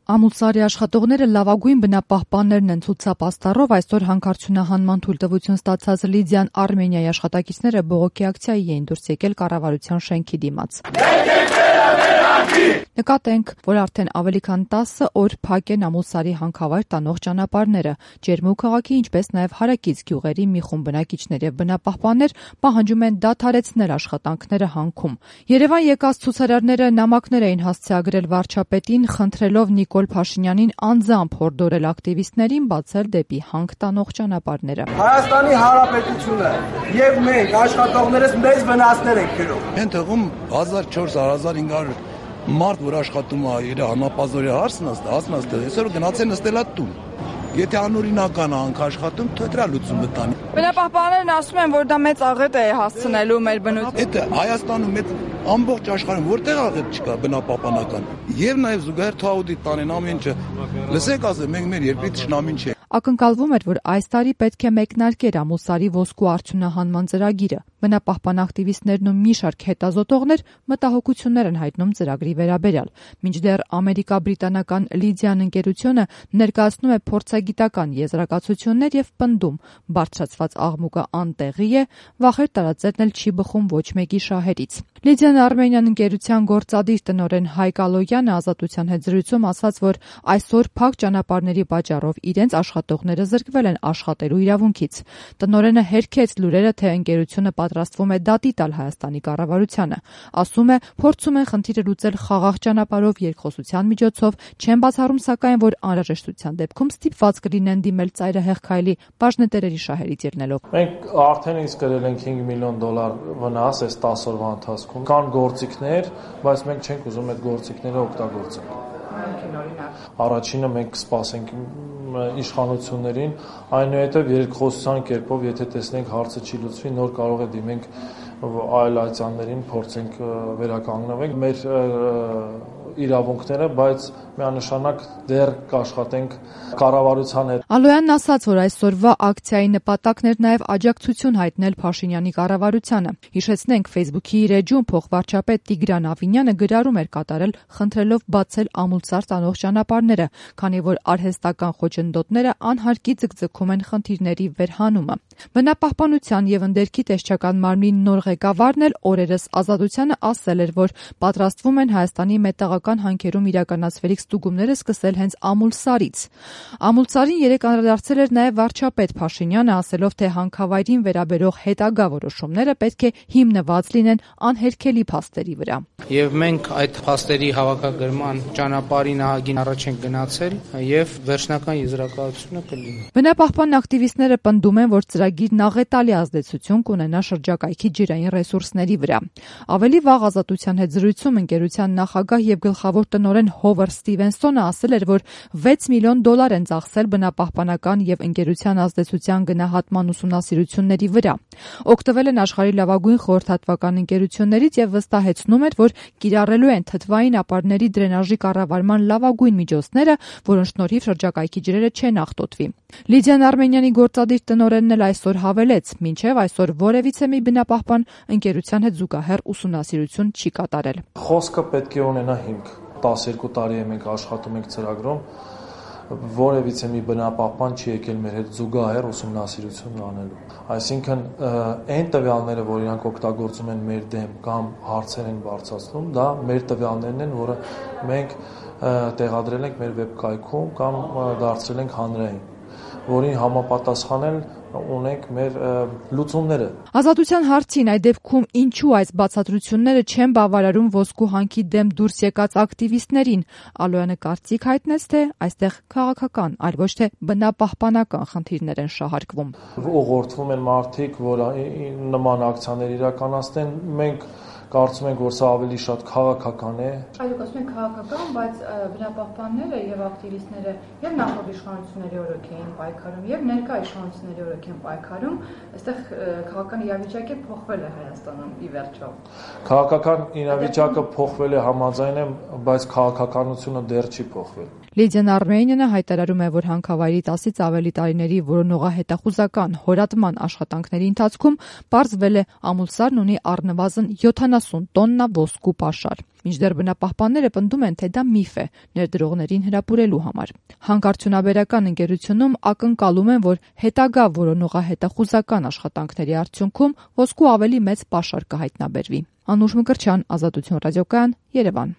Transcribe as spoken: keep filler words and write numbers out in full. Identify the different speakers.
Speaker 1: Ամուլսարի աշխատողները լավագույն բնապահպաններն են ցուցապաստառով այսօր հանքարդյունահանման թույլտվություն ստացած Լիդիան Արմենիայի աշխատակիցները բողոքի ակցիայի էին դուրս եկել կառավարության շենքի դիմաց։ Նկատենք, որ արդեն ավելի քան տասը օր փակ են Ամուլսարի հանքավայր տանող ճանապարհները։ Ջերմուկ քաղաքի, ինչպես նաև հարակից գյուղերի մի խումբ բնակիչներ եւ բնապահպաններ պահանջում են դադարեցնել աշխատանքները հանքում։ Երևան եկած ցուցարարները նամակներ էին հասցեագրել վարչապետին, խնդրելով Նիկոլ Փաշինյանին անձամբ հորդորել ակտիվիստներին բացել դեպի հանք տանող ճանապարհները։
Speaker 2: Հայաստանի Հանրապետությունը եւ մենք աշխատողներս մեծ վնասներ ենք գրում։
Speaker 3: Այն թվում հազար չորս հարյուր հազար հինգ հարյուր մարդ, որ աշխատում է իր հանապազորի հարցն աստ, ասնաստ, այսօր գնացել նստելա տուն։ Եթե անօրինական հանք աշխատում, թե դրա լուծումը տանի։
Speaker 4: Բնապահպաններն ասում են, որ դա մեծ աղետ է հասցնելու մեր բնություն։
Speaker 3: Այդ Հայաստանում այդ ամբողջ աշխարհում որտեղ աղետ չկա բնապահպանական։ Եվ նաև զուգահեռ թաուդի տանեն ամեն ինչը։ Լսեք ասեմ, մենք մեր երկրի թշնամին չենք։
Speaker 1: Ակնկալվում էր, որ այս տարի պետք է մեկնարկեր Ամուլսարի ոսկու արդյունահանման ծրագիրը։ Բնապահպան ակտիվիստներն ու մի շարք հետազոտողներ մտահոգություններ են հայտնում ծրագրի վերաբերյալ։ Մինչդեռ ամերիկա-բրիտանական Լիդիան ընկերությունը ներկայացնում է փորձագիտական եզրակացություններ եւ պնդում, բարձրացված աղմուկը անտեղի է, վախեր տարածելն էլ չի բխում ոչ մեկի շահերից։ Լիդիան Արմենիան ընկերության գործադիր տնօրեն Հայկ Ալոյանը ազատության հետ զրույցում ասաց, որ այսօր փակ ճանապարհների պատճառով իրենց աշխատողները զրկվել են աշխատելու իրավունքից։ Տնօրենը հերքեց լուրերը, թե ընկերությունը պատրաստվում է դատի տալ Հայաստանի կառավարությանը։ Ասում է, փորձում են խնդիրը լուծել խաղաղ ճանապարհով երկխոսության միջոցով, չեն բացառում սակայն, որ անհրաժեշտության դեպքում ստիպված կլինեն դիմել ծայրահեղ քայլի բաժնետերերի շահերից ելնելով։
Speaker 5: Մենք արդեն իսկ գրել ենք հինգ միլիոն դոլար վնաս այս տասը օրվա ընթացքում։ Կան գործիքներ, բայց մենք չենք ուզում այդ գործիքները օգտագործել։ Առաջինը մենք կսպասենք իշխանություններին, այնուհետև երկխոսության կերպով, եթե տեսնենք հարցը չի լուծվի, նոր կարող է դիմենք այլ այցաններին, փորձենք վերականգնենք մեր իրավունքները, բայց միանշանակ դեռ կաշխատենք կառավարության հետ։
Speaker 1: Ալոյանն ասաց, որ այսօրվա ակցիայի նպատակն էր նաև աջակցություն հայտնել Փաշինյանի կառավարությանը։ Հիշեցնենք, Facebook-ի իր էջում փոխվարչապետ Տիգրան Ավինյանը գրառում էր կատարել, խնդրելով բացել Ամուլսար տանող ճանապարհները, քանի որ արհեստական խոչընդոտները անհարկի ձգձգում են խնդիրների վերհանումը։ Բնապահպանության եւ ընդերքի տեսչական մարմնի նոր ղեկավարն էլ օրերս Ազատությանը ասել էր, որ պատրաստվում են Հայաստանի մետաղական հանքերում իրականացվելիք ստուգումները սկսել հենց Ամուլսարից։ Ամուլսարին երեկ անդրադարձել էր նաև վարչապետ Փաշինյանը, ասելով, թե հանքավայրին վերաբերող հետագա որոշումները պետք է հիմնված լինեն անհերքելի փաստերի վրա։
Speaker 6: Եվ մենք այդ փաստերի հավաքագրման ճանապարհի նահագին առաջ ենք գնացել եւ վերջնական եզրակացությունը կլինի։
Speaker 1: Բնապահպան ակտիվիստները պնդում են, որ ծրագիրն աղետալի ազդեցություն կունենա շրջակայքի ջրային ռեսուրսների վրա։ Ավելի վաղ Ազատության հետ զրույցում ընկերության նախագահ եւ գլխավոր տնօրեն Հովարդ Սթիվենսոնը ասել էր, որ վեց միլիոն դոլար են ծախսել բնապահպանական եւ ընկերության ազդեցության գնահատման ուսումնասիրությունների վրա։ Օգտվել են աշխարհի լավագույն խորհրդատվական ընկերություններից եւ վստահեցնում էր, որ կիրառելու են թթվային ապարների դրենաժի կառավարման լավագույն միջոցները, որոնց շնորհիվ շրջակայքի ջրերը չեն աղտոտվի։ Լիդիան Արմենիանի գործադիր տնօրենն էլ այսօր հավելեց, մինչև այսօր որևիցե մի բնապահպան ընկերության հետ զուգահեռ ուսումնասիրություն չի կատարել։
Speaker 5: Խոսքը պետք է ունենա հիմք։ տասներկու տարի է մենք աշխատում ենք ծրագրում, որևիցե մի բնապահպան չի եկել մեր հետ զուգահեռ ուսումնասիրություն անելու։ Այսինքն այն տվյալները, որ իրանք օգտագործում են մեր դեմ կամ հարցեր են բարձրացնում, դա մեր տվյալներն են, որը մենք տեղադրել ենք մեր վեբկայքում կամ դարձրել ենք հանրային, որին համապատասխանել ունենք մեր լուծումները։
Speaker 1: Ազատության հարցին այդ դեպքում ինչու այս բացատրությունները չեն բավարարում ոսկու հանքի դեմ դուրս եկած ակտիվիստներին։ Ալոյանը կարծիք հայտնեց, թե այստեղ քաղաքական, այլ ոչ թե բնապահպանական խնդիրներ են շահարկվում։
Speaker 5: Ուղղորդվում են մարդիկ, որ նման ակցիաներ իրականացնեն, մենք կարծում ենք, որ սա ավելի շատ քաղաքական է։
Speaker 4: Այո, ասում ենք քաղաքական, բայց բնապահպանները եւ ակտիվիստները եւ նախորդ իշխանությունների օրոք էին պայքարում եւ ներկա իշխանությունների օրոք են պայքարում, այստեղ քաղաքական իրավիճակը փոխվել է Հայաստանում ի վերջո։
Speaker 5: Քաղաքական իրավիճակը փոխվել է, համաձայն եմ, բայց քաղաքականությունը դեռ չի փոխվել։
Speaker 1: Լիդիան Արմենիանը հայտարարում է, որ հանքավայրի տասից ավելի տարիների որոնողահետախուզական հորատման աշխատանքների ընթացքում պարզվել է Ամուլսարն ունի առնվազն յոթանասուն յոթանասուն տոննա ոսկու պաշար։ Մինչդեռ բնապահպանները պնդում են, թե դա միֆ է ներդրողներին հրապուրելու համար։ Հանքարդյունաբերական ընկերությունում ակնկալում են, որ հետագա որոնողահետախուզական աշխատանքների արդյունքում ոսկու ավելի մեծ պաշար կհայտնաբերվի։ Անուշ Մկրտչյան, Ազատություն ռադիոկայան, Երևան։